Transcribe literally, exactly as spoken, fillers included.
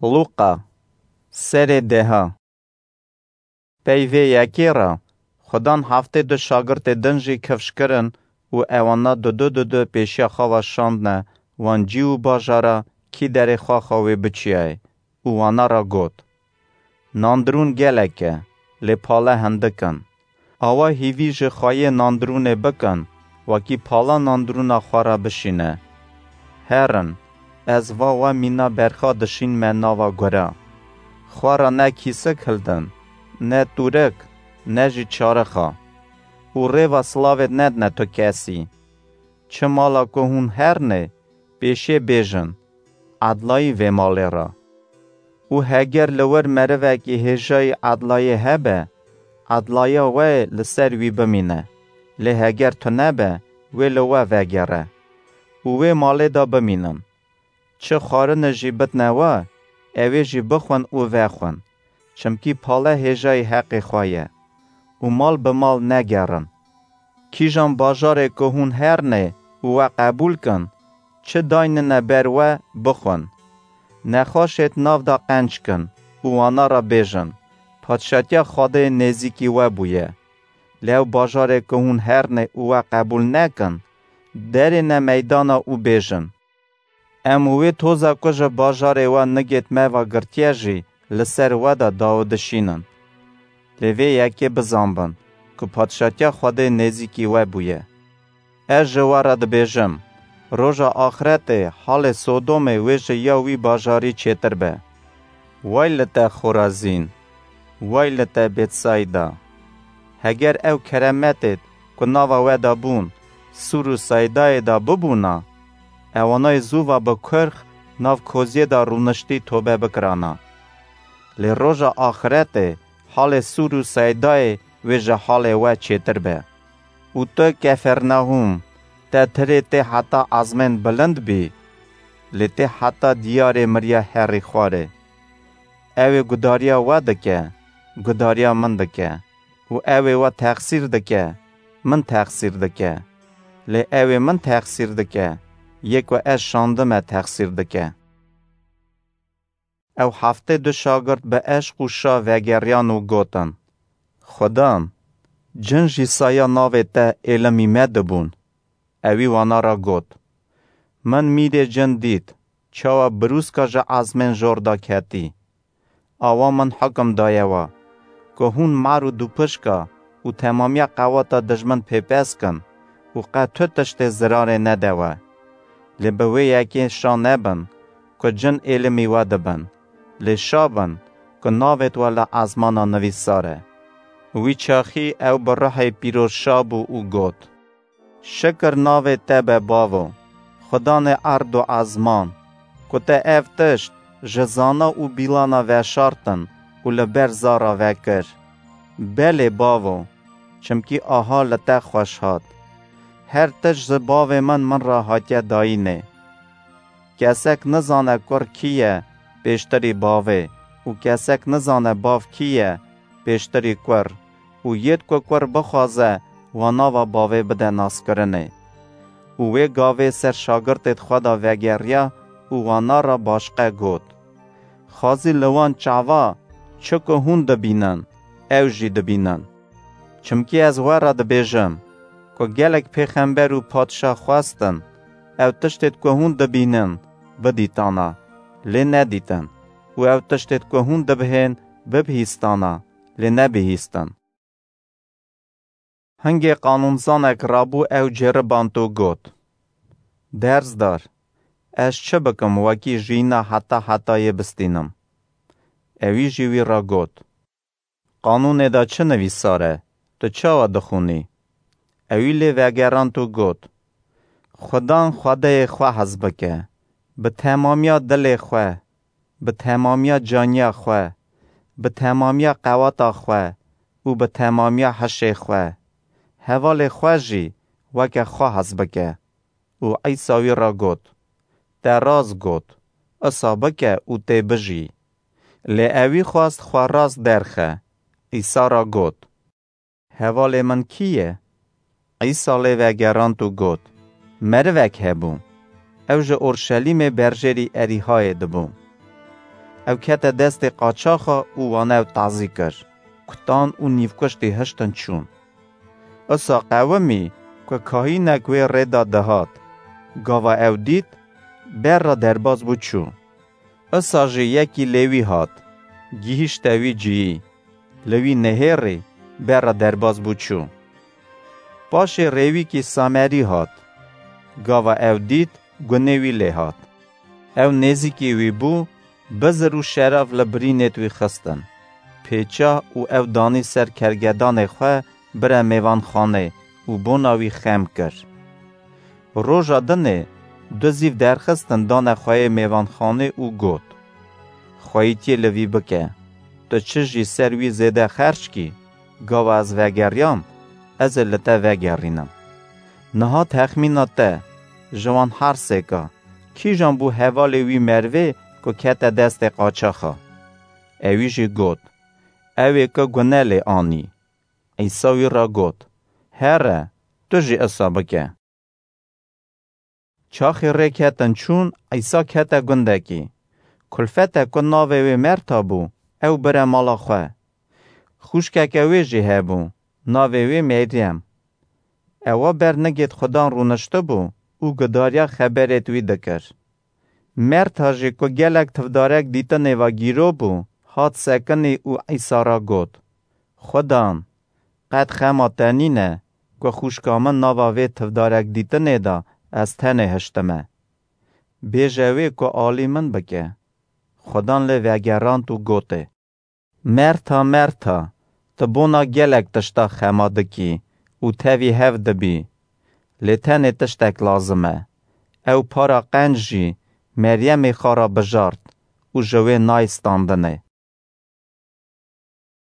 Lûqa, serê deha. Pey vê yekê re, Xudan heftê du şagirtê din jî kifş kirin û ewana dudu dudu pêşiya xwe ve şandine wan cî û bajara kî derê xwe xwe wê biçiyayê û wana re got: Nandirûn gelek e, lê pale hindik in. Awa hîvî ji xweyê nandirûnê bikin, wekî pala nandirûna xwe re bişîne. Herin, ez va we mîna berxa dişînme nava gura. Xwe re ne kîsik hildin, ne tûrik, ne jî çarixa. Û rêva silavê nedine tu kesî. Çi mala ku hûn herinê, pêşê bêjin, edlayî vê malê re. Û heger li wir merivekî hêjayî edlayê hebe, edlaya we li ser wî bimîne. Lê heger tune be, wê li we vegere û wê malê de bimînin. Çi xwarine jî bidne we, ew ê jî bixwin û vexwin. Çimkî pale hêjayî heqê xwe ye û mal bi mal negerin. Kîjan bajarê ku hûn herinê û we qebûl kin, çi daynine ber we, bixwin. Nexweşêt nav de qenc kin û wana re bêjin: Padşatiya Xwedê nêzîkî we bûye. Lê ew bajarê ku hûn herinê û we qebûl nekin, derêne meydana û bêjin: Em û wê toza ku ji bajarê we nigêt me ve girtiye jî li ser we de dawidişînin. Lê vê yekê bizanbin ku Padşatiya Xwedê nêzîkî we bûye. Ez ji we re dibêjim, roja axretê halê Sodomê wê ji ya wî bajarî çêtir be. Way li te Xorazîn! Way li te Bêtsayda! Heger ew keremetêd ku nava we de bûn, Sûr û Seydayê de bibûna, ewanayê zû ve bi kurx nav koziyê de rûniştî tobe bikirana. Lê roja axretê halê Sûr û Seydayê wê ji halê we çêtir be. Û tu Kefernahûm, te tirê tê heta ezmên bilind bî, lê tê heta diyarê miriya herî xwarê. Ew ê gudariya we dike, gudariya min dike. Û ew ê we texsîr dike, min texsîr dike. Lê ew ê min texsîr dike, yê ku ez şandime texsîr dike. Ew heftê du şagirt bi eşq û şa vegeriyan û gotin: Xudan, cin jî saya navê te êlimî me dibûn. Ewî wana re got: Min mîrê cin dît, çawa birûska ji ezmên jor de ketî. Awa min hukum daye we, ku hûn mar û dûpişka û temamiya qewata dijmin pêpes kin û qet tu tiştê zirarê nede we. Lê bi wê yekê şa nebin, ku cin êlimî we dibin, lê şa bin, ku navêt we li ezmana nivîsar e. Wî çaxî ew bi ruhê pîroz şa bû û got: Şikir navê te be Bavo, Xudanê erd û ezman, ku te ev tişt ji zana û bîlana veşartin û li ber zara vekir. Belê Bavo, çimkî aha li te xweş hat. Her tişt ji bavê min min re hatiye dayînê. Kesek nizane kur kî ye pêştirî bavê û kesek nizane bav kî ye pêştirî kur û yêd ku kur bixwaze, wa nava bavê bide naskirinê. Û wê gavê ser şagirtêd xwe de vegeriya û wana re başqe got: Xwezî li wan çava çi ku hûn dibînin, ew jî dibînin. Çimkî ez we re dibêjim, ku gelek pêxember û padşa xwestin, ew tiştêd ku hûn dibînin, bidîtana, lê nedîtin, û ew tiştêd ku hûn dibihên, bibihîstana, lê nebihîstin. Hingê qanûnzanek rabû ew ceriband û got: Derzdar, ez çi bikim wekî jiyîna heta hetayê bistînim? Ewî jî wî re got: Qanûnê de çi nivîsar e, tu çawa dixwînî? Ewî lê vegerand û got: Xudan Xwedeyê xwe hez bike, bi temamiya dilê xwe, bi temamiya caniya xwe, bi temamiya qeweta xwe û bi temamiya hişê xwe. Hevalê xwe jî weke xwe hez bike. Û Îsa wî re got: Te rast got, isa bike û tê bijî. Lê ewî xwest xwe rast derxe. Îsa re got: Hevalê min kî ye? Îsa lê vegerand û got: Merivek hebû. Ew ji Orşelîmê berjêrî Erîhayê dibû. Ew kete destê qaçaxa û wan ew tazî kir. Kutan û nîvkuştî hiştin çûn. Isa qewimî ku kahînek wê rê de dihat. Gava ew dît, ber re derbas bû çû. Isa jî yekî Lêwî hat, gihîşte wî cihî, li wî nihêrî ber re derbas bû çû. Paşê rêwîkî Samerî hat. Gava ew dît, gunê wî lê hat. Ew nêzîkî wî bû, bizir û şerav li birînêt wî xistin. Pêça û ew danî ser kergedanê xwe bire mêvanxanê û bona wî xem kir. Roja dinê du zîv derxistin dane xweyê mêvanxanê û got, "Xweyîtiyê li vî bike. Tu çi jî ser wî zêde xerc kî, gava ez vegeriyam, ez ê li te vegerînim. Niha texmîna te, ji wan her sêka, kîjan bû hevalê wî merivê ku kete destê qaçaxa?" Ewî jî got, "Ew ê ku gune lê anî." Îsa wî re got, "Here, tu jî isa bike." Çaxê rê ketin çûn, Îsa kete gundekî. Kulfete ku navê wê Merta bû, ew bire mala xwe. Xwişkeke wê jî hebû, navê wê Meryem. Ewa ber nigêt Xudan rûniştibû û gudariya xeberêt wî dikir. Merta jî ku gelek tivdarek dîtinê ve gîro bû, hat sekinî û Îsa re got, "Xudan, qet xema te nîne ku xwişka min nava vê tivdarek dîtinê de ez tenê hiştime. Bêje wê ku alî min bike." Xudan lê vegerand û gotê, "Merta, Merta, tu bona gelek tişta xema dikî û tevî hev dibî. Lê tenê tiştek lazim e. Ew para qenc jî Meryemê xwe re bijart û ji wê nayê standinê.